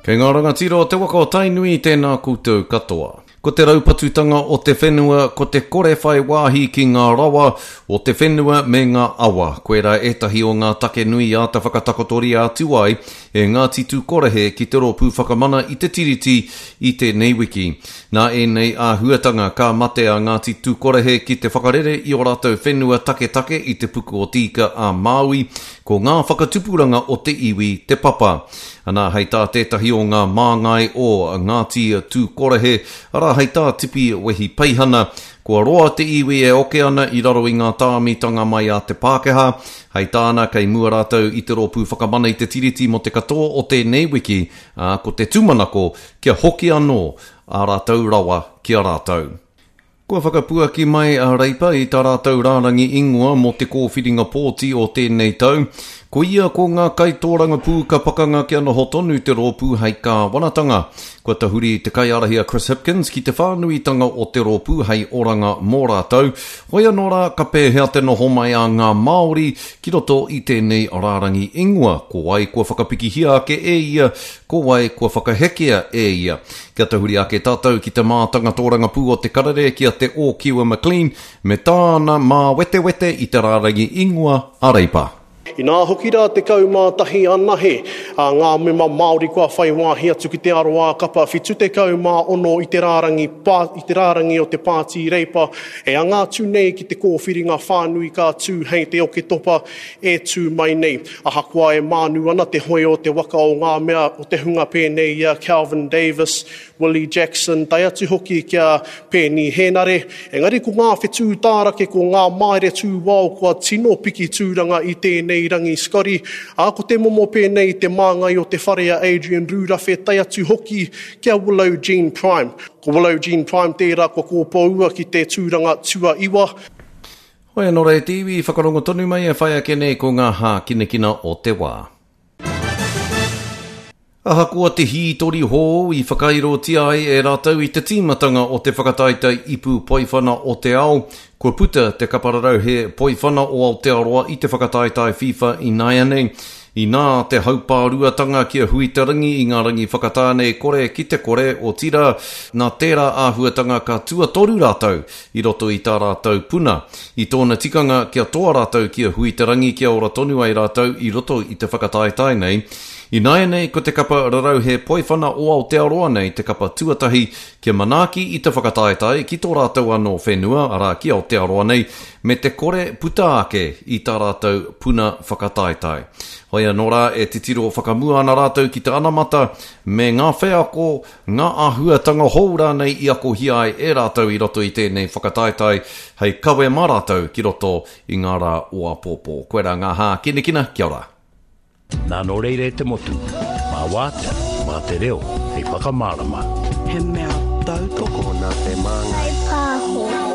Kei ngā rangatira o te waka o Tainui tēnā koutou katoa. Ko te raupatutanga o te whenua, ko te kore whai wāhi ki ngā rawa o te whenua me ngā awa, koirā ētahi o ngā take nui i āta whakatakotoria atu ai e Ngāti Tūkorehe ki te Rōpū Whakamana i te Tiriti i tēnei wiki. Nā ēnei āhuatanga ka mate a Ngāti Tūkorehe ki te whakarere i ō rātou whenua taketake i te puku o Te Ika a Māui, Ko ngā whakatupuranga o te iwi te papa. Ana, hei tā tētahi o ngā māngai o Ngāti Tūkorehe, arā, hei tā Tipi Wehi Peihana, kua roa te iwi e oke ana i raro i ngā tāmitanga mai a te Pākehā. Hei tāna, kei mua rātou i te Rōpū Whakamana i te Tiriti mō te katoa o tēnei wiki, ā, ko te tūmanako kia hoki anō ā rātou rawa ki a rātou. Kua whakapuaki mai a Reipa i tā rātou rārangi ingoa mō te kōwhiringa pōti o tēnei tau. Koia ko ngā kaitōrangapū ka pakanga kia noho tonu te rōpū hei kāwanatanga. Kua tahuri te kaiārahi a Chris Hipkins ki te whānuitanga o te rōpū hei oranga mō rātou. Hoi anō rā, ka pēhea te noho mai a ngā Māori ki roto i tēnei rārangi ingoa? Ko wai kua whakapikihia ake e ia, ko wai kua whakahekea e ia? Kia tahuri ake tātou ki te mātanga tōrangapū o te karere ki a Te Ōkiwa McLean me tāna māwetewete i te rārangi ingoa a Reipa. Inā hoki rā 11 anahe a ngā mema Māori kua whai wāhi atu ki te aroā kapa 76 i te rārangi i te rārangi o te Pāti Reipa e anga atu nei ki te kōwhiringa whānui ka tū hei te Oketopa e tū mai nei. Ahakoa e mānu ana te hoe o te waka o ngā mea o te hunga pēnei i a Kelvin Davis, Willie Jackson, tae atu hoki ki a Peeni Henare, engari ko ngā whetū tārake, ko ngā maere tūwao kua tino piki tūranga i tēnei rangi Scotty, ā, ko te momo pēnei i te māngai o te whare a Adrian Rūrawhe tae atu hoki ki a Willow Jean Prime. Ko Willow Jean Prime tērā kua kōpoua ki te tūranga tuaiwa. Hoi anō rā e te iwi, whakarongo tonu mai e whai ake nei ko ngā hākinakina o te wā. Ahakoa te hītori hou i whakairotia ai e rātou i te tīmatanga o te whakataetae ipu poiwhana o te ao, kua puta te kapararauhe poiwhana o Aotearoa i te whakataetae FIFA ināianei. Inā te haupāruatanga ki a Huiterangi i ngā rangi whakatā nei kore ki te kore, otirā, nā tērā āhuatanga ka tuatoru rātou i roto i tā rātou puna. I tōna tikanga kia toa rātou ki a Huiterangi kia ora tonu ai rātou i roto i te whakataetae nei. Ināianei ko te kapa rarauhe poiwhana o Aotearoa nei te kapa tuatahi kia manaaki i te whakataetae ki tō rātou anō whenua, arā ki Aotearoa nei, me te kore puta ake i tā rātou puna whakataetae. Hoi anō rā e titiro whakamua ana rātou ki te anamata me ngā wheako ngā āhuatanga hou rānei i akohia ai e rātou i roto i tēnei whakataetae hei kawe mā rātou ki roto i ngā rā o āpōpō. Koirā ngā hākinakina, kia ora. Nā nō reira e te motu, mā wātea, mā te reo, hei whakamārama. He mea tautoko. Nā te māngai. Pāho.